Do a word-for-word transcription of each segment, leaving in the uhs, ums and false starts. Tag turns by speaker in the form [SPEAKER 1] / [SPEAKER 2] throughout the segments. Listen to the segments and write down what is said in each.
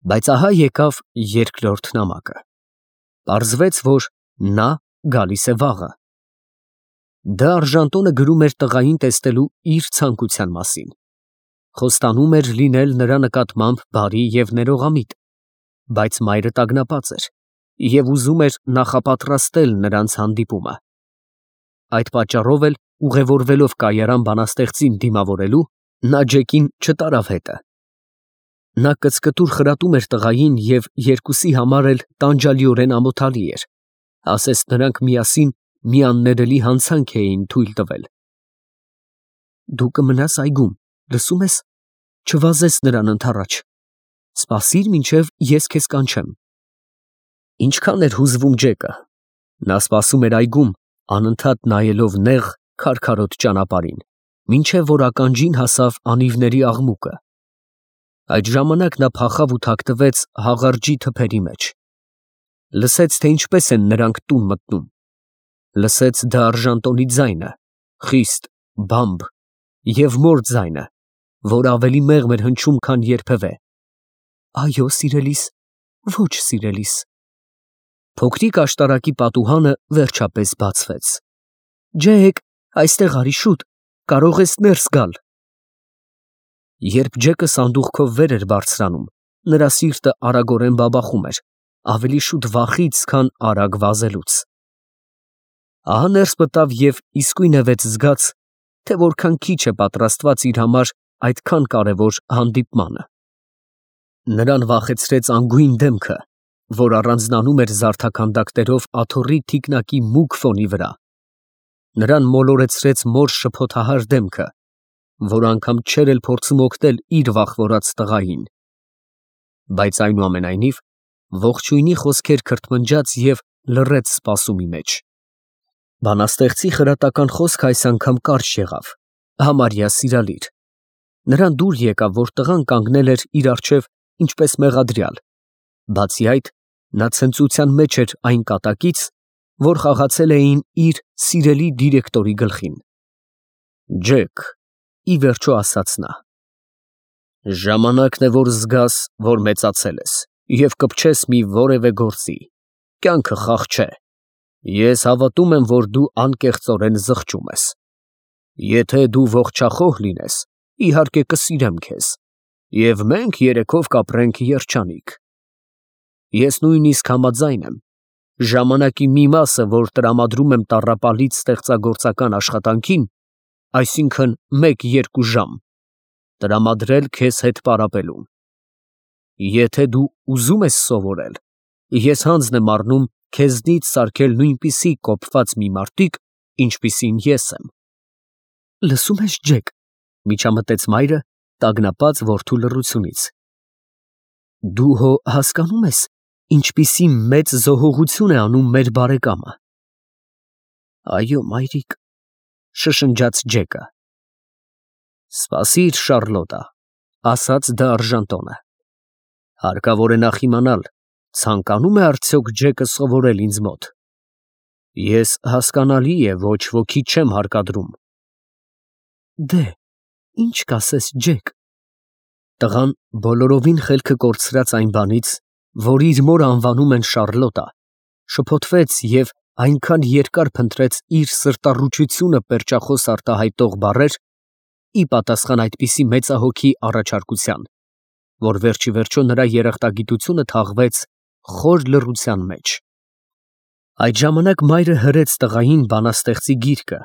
[SPEAKER 1] Բայց ահա եկավ երկրորդ նամակը։ Պարզվեց, որ նա գալիս է վաղը։ Դա Արժանտոնը գրում էր տղային տեսնելու իր ցանկության մասին։ Խոստանում էր լինել նրա նկատմամբ բարի և ներողամիտ, բայց մայրը տագնապած էր և ուզում էր նախապատրաստել նրանց հանդիպումը։ Այդ պատճառով էլ, ուղևորվելով կայարան բանաստեղծին դիմավորելու, նա Ջեկին չտարավ հետը։ Նա կծկտուր խրատում էր տղային և երկուսի համար էլ տանջալիորեն ամոթալի էր, ասես նրանք միասին մի աններելի հանցանք էին թույլ տվել։ Դու կմնաս այգում, լսո՞ւմ ես, չվազես նրան ընդառաջ, սպասիր, մինչև ես քեզ կանչեմ։ Ինչքան էր հուզվում Ջեկը, նա սպասում էր այգում, անընդհատ նայելով նեղ, քարքարոտ ճանապարհին, մինչև որ ականջին հասավ անիվների աղմուկը։ Այդ ժամանակ նա փախավ ու թաքնվեց հաղարջի թփերի մեջ։ Լսեց, թե ինչպես են նրանք տուն մտնում։ Լսեց դա Արժանտոնի ձայնը, խիստ, բամբ, և մոր ձայնը, որ ավելի մեղմ էր հնչում, քան երբևէ. «Այո, սիրելիս, ոչ, սիրելիս»։ Փոքրիկ աշտարակի պատուհանը վերջապես բացվեց։ «Ջեք, այստեղ արի, շուտ, կարող ես ներս գալ»։ Երբ Ջեկը սանդուղքով վեր էր բարձրանում, նրա սիրտը արագորեն բաբախում էր, ավելի շուտ վախից, քան արագ վազելուց։ Ահա ներս մտավ և իսկույնևեթ զգաց, թե որքան քիչ է պատրաստված իր համար այդքան կարևոր հանդիպմանը։ Նրան վախեցրեց անգույն դեմքը, որ առանձնանում էր զարդաքանդակներով աթոռի թիկնակի մուգ ֆոնի վրա։ Նրան մոլորեցրեց մոր շփոթահար դեմքը, որ անգամ չէր էլ փորձում օգնել իր վախվորած տղային։ Բայց այնուամենայնիվ ողջույնի խոսքեր քրթմնջաց և լռեց սպասումի մեջ։ Բանաստեղծի խրատական խոսքը այս անգամ կարճ եղավ, համարյա սիրալիր։ Նրան դուր եկավ, որ տղան կանգնել էր իր առջև ինչպես մեղադրյալ, բացի այդ, նա ցնծության մեջ էր այն կատակից, որ խաղացել էին իր սիրելի դիրեկտորի գլխին։ Ջեք, ի վերջո ասաց նա, ժամանակն է, որ զգաս, որ մեծացել ես և կպչես մի որևէ գործի, կյանքը խաղ չէ, ես հավատում եմ, որ դու անկեղծորեն զղջում ես։ Եթե դու ողջախոհ լինես, իհարկե կսիրեմ քեզ, և մենք երեքով կապրենք երջանիկ։ Ես նույնիսկ համաձայն եմ, ժամանակի մի մասը, որ տրամադրում եմ տառապալից ստեղծագործական աշխատանքին, այսինքն մեկ֊երկու ժամ, տրամադրել քեզ հետ պարապելուն։ Եթե դու ուզում ես սովորել, ես հանձն եմ առնում քեզնից սարքել նույնպիսի կոփված մի մարտիկ, ինչպիսին ես եմ։ Լսո՞ւմ ես, Ջեք, միջամտեց մայրը, տագնապած որդու լռությունից։ Դու հո հասկանում ես, ինչպիսի մեծ զոհողություն է անում մեր բարեկամը։ Այո, մայրիկ, շշնջաց Ջեկը։ Սպասիր, Շառլոտա, ասաց դա Արժանտոնը։ Հարկավոր է նախ իմանալ, ցանկանում է արդյոք Ջեկը սովորել ինձ մոտ։ Ես, հասկանալի է, ոչ ոքի չեմ հարկադրում։ Դե, ինչ կասես, Ջեք։ Տղան բոլորովին խելքը կորցրած այն բանից, որ իր մորը անվանում են Շառլոտա, շփոթվեց և այնքան երկար փնտրեց իր սրտառուչությունը պերճախոս արտահայտող բառեր, ի պատասխան այդպիսի մեծահոգի առաջարկության, որ վերջիվերջո նրա երախտագիտությունը թաղվեց խոր լռության մեջ։ Այդ ժամանակ մայրը հրեց տղային բանաստեղծի գիրքը,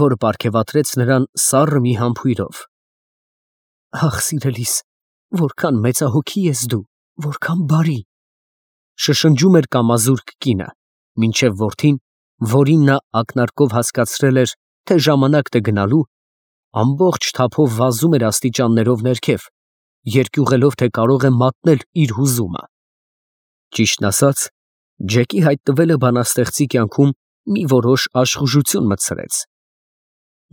[SPEAKER 1] որը պարգևատրեց նրան սառը մի համբույրով։ Ախ, սիրելիս, որքան մեծահոգի ես դու, որքան բարի, շշնջում էր կամազուրկ կինը, մինչև որդին, որին նա ակնարկով հասկացրել էր, թե ժամանակն է գնալու, ամբողջ թափով վազում էր աստիճաններով ներքև, երկյուղելով, թե կարող է մատնել իր հուզումը։ Ճիշտն ասած, Ջեկի հայտնվելը բանաստեղծի կյանքում մի որոշ աշխուժություն մտցրեց։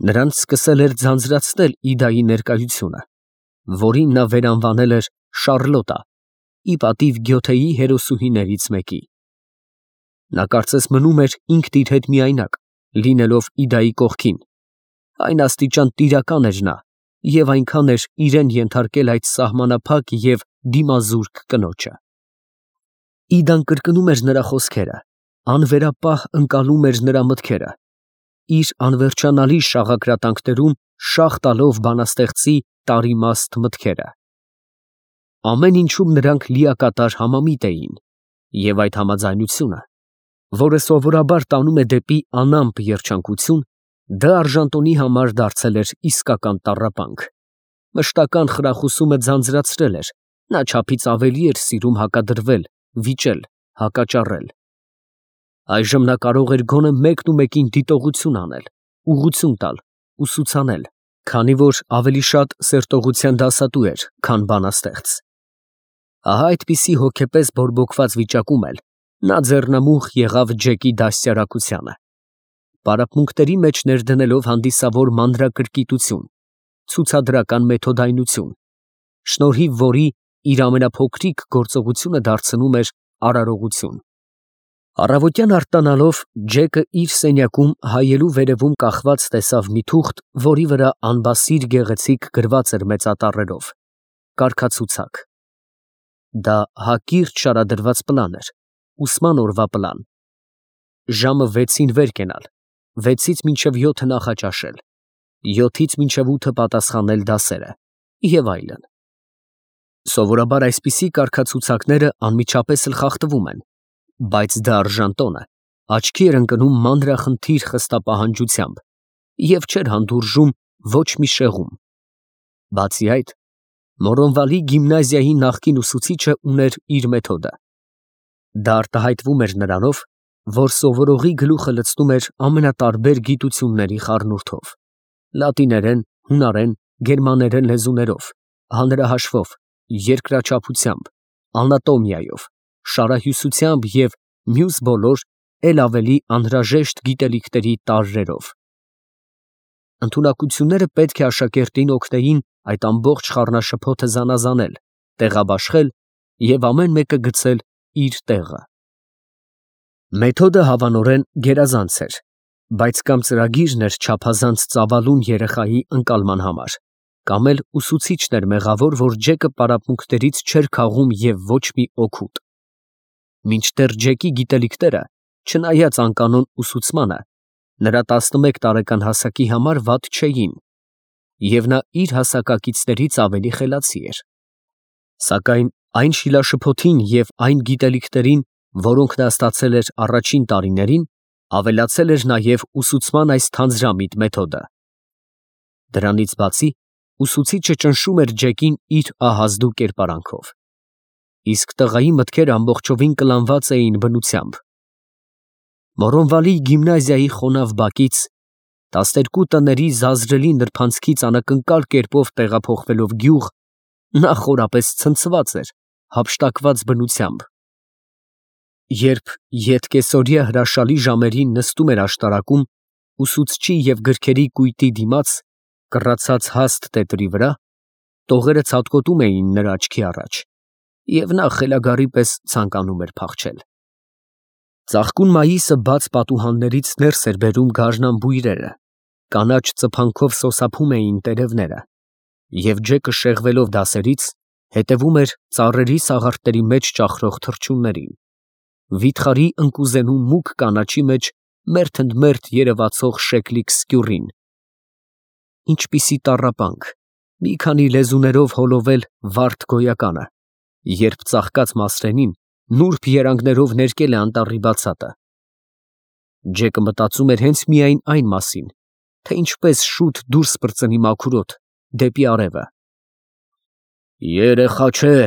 [SPEAKER 1] Նրանց սկսել էր ձանձրացնել Իդայի ներկայությունը, որին նա վերանվանել էր Շառլոտա, ի պատիվ Գյոթեի հերոսուհիներից մեկի։ Նա կարծես մնում էր ինքն իր հետ միայնակ, լինելով Իդայի կողքին, այն աստիճան տիրական էր նա և այնքան էր իրեն ենթարկել այդ սահմանափակ և դիմազուրկ կնոջը։ Իդան կրկնում էր նրա խոսքերը, անվերապահ ընկալում էր նրա մտքերը, իր անվերջանալի շաղակրատանքներում շաղ տալով բանաստեղծի տարիմաստ մտքերը։ Ամեն ինչում նրանք լիակատար համամիտ էին, և այդ համաձայնությունը, որը սովորաբար տանում է դեպի անամպ երջանկություն, դա Արժանտոնի համար դարձել էր իսկական տառապանք, մշտական խրախուսումը ձանձրացրել էր, նա չափից ավելի էր սիրում հակադրվել, վիճել, հակաճառել։ Այժմ նա կարող էր գոնե մեկնումեկին դիտողություն անել, ուղղություն տալ, ուսուցանել, քանի որ ավելի շատ սերտողության դասատու էր, քան բանաստեղծ։ Ահա այդպիսի հոգեպես բորբոքված վիճակում էլ նա ձեռնամուխ եղավ Ջեկի դաստիարակությանը, պարապմունքների մեջ ներդնելով հանդիսավոր մանրակրկիտություն, ցուցադրական մեթոդայնություն, շնորհիվ որի իր ամենափոքրիկ գործողությունը դարձնում էր արարողություն։ Առավոտյան արթնանալով Ջեկը իր սենյակում հայելու վերևում կախված տեսավ մի թուղթ, որի վրա անբասիր գեղեցիկ գրված էր մեծատառերով. կարգացուցակ։ Դա հակիրճ շարադրված պլան էր, ուսման օրվա պլան։ Ժամը վեցին վեր կենալ, վեցից մինչև յոթը նախաճաշել, յոթից մինչև ութը պատասխանել դասերը և այլն։ Սովորաբար այսպիսի կարգացուցակները անմիջապես էլ խախտվում են, բայց դա Արժանտոնը աչքի էր ընկնում մանրախնդիր խստապահանջությամբ և չէր հանդուրժում ոչ մի շեղում։ Բացի այդ, Մորոնվալի գիմնազիայի նախկին ուսուցիչը ուներ իր մեթոդը։ Դա արտահայտվում էր նրանով, որ սովորողի գլուխը լցնում էր ամենատարբեր գիտությունների խառնուրդով, լատիներեն, հունարեն, գերմաներեն լեզուներով, հանրահաշվով, երկրաչափությամբ, անատոմիայով, շարահյուսությամբ և մյուս բոլոր էլ ավելի անհրաժեշտ գիտելիքների տարրերով։ Ընդունակությունները պետք է աշակերտին օգնեին այդ ամբողջ խառնաշփոթը զանազանել, տեղաբաշխել և ամեն մեկը գցել իր տեղը։ Մեթոդը հավանորեն գերազանց էր, բայց կամ ծրագիրն էր չափազանց ծավալուն երեխայի ընկալման համար, կամ էլ ուսուցիչն էր մեղավոր, որ Ջեկը պարապմունքներից չէր քաղում և ոչ մի օգուտ։ Մինչդեռ Ջեկի գիտելիքները, չնայած անկանոն ուսուցմանը, նրա տասնմեկ տարեկան հասակի համար վատ չէին, և նա իր հասակակիցներից ավելի խելացի էր։ Սակայն այն շիլաշփոթին և այն գիտելիքներին, որոնք նա ստացել էր առաջին տարիներին, ավելացել էր նաև ուսուցման այս թանձրամիտ մեթոդը։ Դրանից բացի, ուսուցիչը ճնշում էր Ջեկին իր ահազդու կերպարանքով, իսկ տղայի մտքերը ամբողջովին կլանված էին բնությամբ։ Մորոնվալի գիմնազիայի խոնավ բակից, տասներկու տների զազրելի նրբանցքից անակնկալ կերպով տեղափոխվելով գյուղ, նա խորապես ցնցված էր հափշտակված բնությամբ։ Երբ ետկեսօրյա հրաշալի ժամերին նստում էր աշտարակում, ուսուցչի և գրքերի կույտի դիմաց, կռացած հաստ տետրի վրա, տողերը ցատկոտում էին նրա աչքի առաջ, և նա խելագարի պես ցանկանում էր փախչել։ Ծաղկուն մայիսը բաց պատուհաններից ներս էր բերում գարնան բույրերը, կանաչ ծփանքով սոսափում էին տերևները, և Ջեկը շեղվելով դասերից, հետևում էր ծառերի սաղարթների մեջ ճախրող թռչուններին, վիթխարի ընկուզենու մուգ կանաչի մեջ մերթ ընդ մերթ երևացող շեկլիկ սկյուռին։ Ինչպիսի տառապանք, մի քանի լեզուներով հոլովել վարդ գոյականը, երբ ծաղկած մասրենին նուրբ երանգներով ներկել է անտառի բացատը։ Ջեկը մտածում էր հենց միայն այն մասին, թե ինչպես շուտ դուրս պրծնի մաքուրոտ, դեպի արևը։ «Երեխա չէ,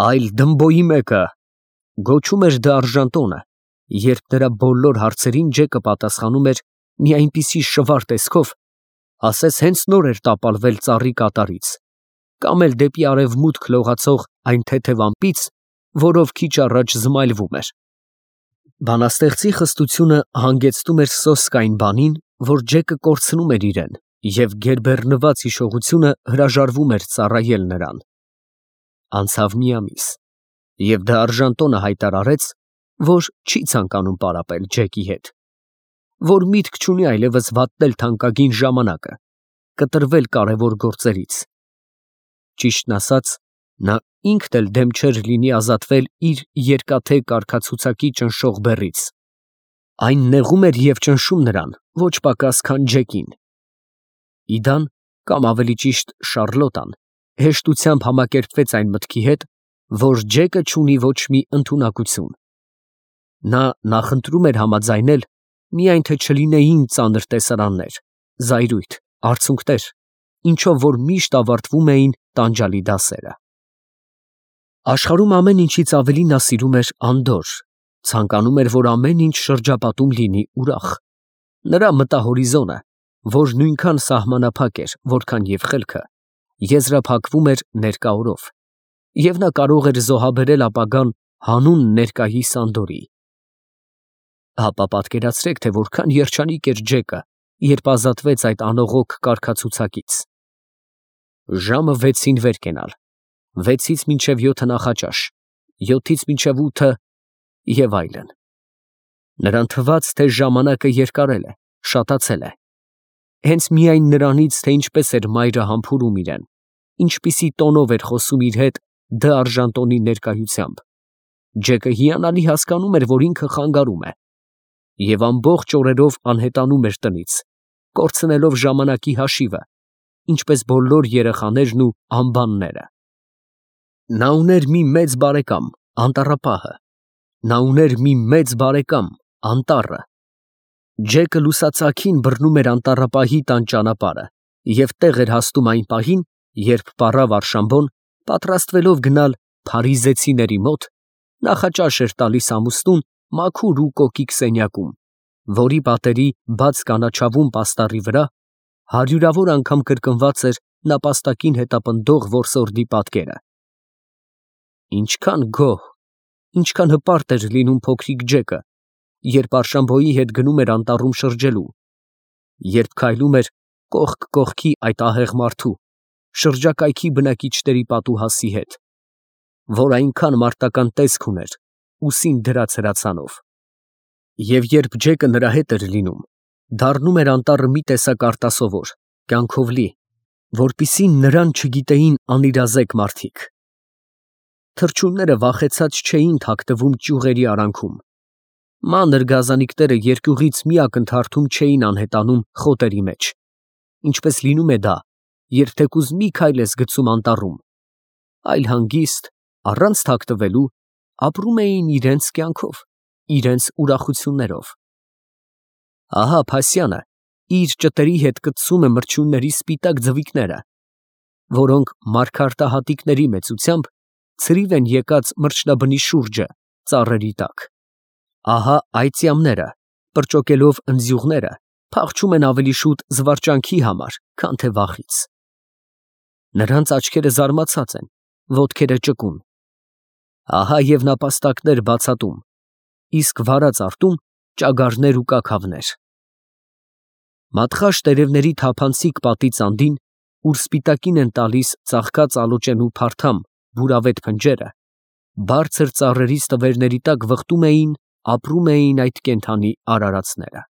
[SPEAKER 1] այլ դմբոյի մեկը», գոչում էր դա Արժանտոնը, երբ նրա բոլոր հարցերին Ջեկը պատասխանում էր մի այնպիսի շվար տեսքով, ասես հենց նոր էր տապալվել ծառի կատարից, կամ էլ դեպի արևմուտք լողացող այն թեթև ամպից, որով քիչ առաջ զմայլվում էր։ Բանաստեղծի խստությունը հանգեցնում էր սոսկ այն բանին, որ Ջեկը կորցնում էր իրեն, և գերբեռնված հիշողությունը հրաժարվում էր ծառայել նրան։ Անցավ մի ամիս, և դա Արժանտոնը հայտարարեց, որ չի ցանկանում պարապել Ջեկի հետ, որ միտք չունի այլևս վատնել թանկագին ժամանակը, կտրվել կարևոր գործերից։ Ճիշտն ասած, նա ինքն էլ դեմ չէր լինի ազատվել իր երկաթե կարգացուցակի ճնշող բեռից։ Այն նեղում էր և ճնշում նրան ոչ պակաս, քան Ջեկին։ Իդան, կամ ավելի ճիշտ Շառլոտան, հեշտությամբ համակերպվեց այն մտքի հետ, որ Ջեկը չունի ոչ մի ընդունակություն։ Նա նախընտրում էր համաձայնել, միայն թե չլինեին ծանր տեսարաններ, զայրույթ, արցունքներ, ինչով որ միշտ ավարտվում էին տանջալի դասերը։ Աշխարհում ամեն ինչից ավելի նա սիրում էր Անդոր, ցանկանում էր, որ ամեն ինչ շրջապատում լինի ուրախ։ Նրա մտահորիզոնը, որ նույնքան սահմանափակ էր, որքան և խելքը, եզրափակվում էր ներկա օրով, և նա կարող էր զոհաբերել ապագան հանուն ներկայիս Անդորի։ Հապա պատկերացրեք, թե որքան երջանիկ էր Ջեկը, երբ ազատվեց այդ անողոք կարգացուցակից։ Ժամը վեցին վեր կենալ, վեցից մինչև յոթը նախաճաշ, յոթից մինչև ութը և այլն։ Նրան թվաց, թե ժամանակը երկարել է, շատացել է։ Հենց միայն նրանից, թե ինչպես էր մայրը համբուրում իրեն, ինչպիսի տոնով էր խոսում իր հետ Դ. Արժանտոնի ներկայությամբ, Ջեկը հիանալի հասկանում էր, որ ինքը խանգարում է, և ամբողջ օրերով անհետանում էր տնից, կորցնելով ժամանակի հաշիվը, ինչպես բոլոր երեխաներն ու անբանները։ Նա ուներ մի մեծ բարեկամ, անտառապահը, նա ուներ մի մեծ բարեկամ, անտառը։ Ջեկը լուսացաքին բռնում էր անտառապահի տան ճանապարհը և տեղ էր հասնում այն պահին, երբ պառավ Արշամբոն, պատրաստվելով գնալ փարիզեցիների մոտ, նախաճաշ էր տալիս ամուսնուն մաքուր ու կոկիկ սենյակում, որի պատերի բաց կանաչավուն պաստառի վրա հարյուրավոր անգամ կրկնված էր նապաստակին հետապնդող որսորդի պատկերը։ Ինչքան գոհ, ինչքան հպարտ էր լինում փոքրիկ Ջեկը, երբ Արշամբոյի հետ գնում էր անտառում շրջելու, երբ քայլում էր կողք կողքի այդ ահեղ մարդու, շրջակայքի բնակիչների պատուհասի հետ, որ այնքան մարտական տեսք ուներ ուսին դրած հրացանով։ Եվ երբ Ջեկը նրա հետ էր լինում, դառնում էր անտառը մի տեսակ արտասովոր, կյանքով լի, որպեսզի նրան չգիտեին անիրազեկ մարդիկ։ Թռչունները վախեցած չէին թաքնվում ճյուղերի արանքում, մանր գազանիկները երկյուղից մի ակնթարթում չէին անհետանում խոտերի մեջ, ինչպես լինում է դա, երբ թեկուզ մի քայլ ես գցում անտառում, այլ հանգիստ, առանց թաքնվելու, ապրում էին իրենց կյանքով, իրենց ուրախություններով։ Ահա Փասյանը իր ճտերի հետ կծում է մրջյունների սպիտակ ձվիկները, որոնք մարգարտահատիկների մեծությամբ ցրիվ են եկած մրջնաբնի շուրջը ծառերի տակ։ Ահա այծյամները, պրճոկելով ընձյուղները, փախչում են ավելի շուտ զվարճանքի համար, քան թե վախից։ Նրանց աչքերը զարմացած են, ոտքերը ճկուն։ Ահա և նապաստակներ բացատում, իսկ վարած արտում ճագարներ ու կաքավներ։ Մատխաշ տերևների թափանցիկ պատից անդին, ուր սպիտակին են տալիս ծաղկած ալոճենու փարթամ բուրավետ փնջերը, բարձր ծառերի ստվերների տակ վխտում էին, ապրում էին այդ կենդանի արարածները։